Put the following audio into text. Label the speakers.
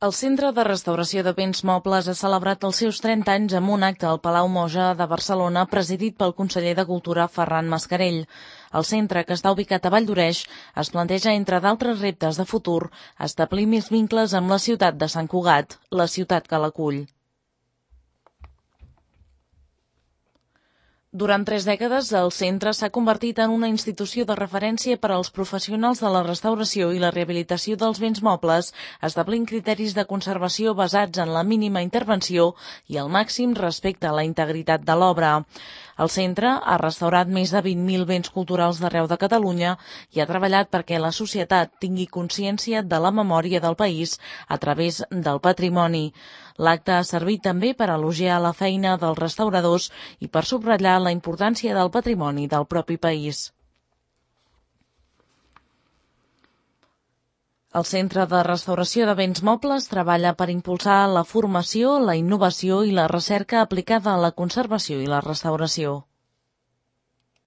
Speaker 1: El Centre de Restauració de Béns Mobles ha celebrat els seus 30 anys amb un acte al Palau Moja de Barcelona presidit pel conseller de Cultura Ferran Mascarell. El centre, que està ubicat a Valldoreix, es planteja, entre d'altres reptes de futur, establir més vincles amb la ciutat de Sant Cugat, la ciutat que l'acull. Durant 3 dècades, el centre s'ha convertit en una institució de referència per als professionals de la restauració i la rehabilitació dels béns mobles, establint criteris de conservació basats en la mínima intervenció i el màxim respecte a la integritat de l'obra. El centre ha restaurat més de 20.000 béns culturals d'arreu de Catalunya i ha treballat perquè la societat tingui consciència de la memòria del país a través del patrimoni. L'acte ha servit també per elogiar la feina dels restauradors i per subratllar la importància del patrimoni del propi país. El Centre de Restauració de Béns Mobles treballa per impulsar la formació, la innovació i la recerca aplicada a la conservació i la restauració.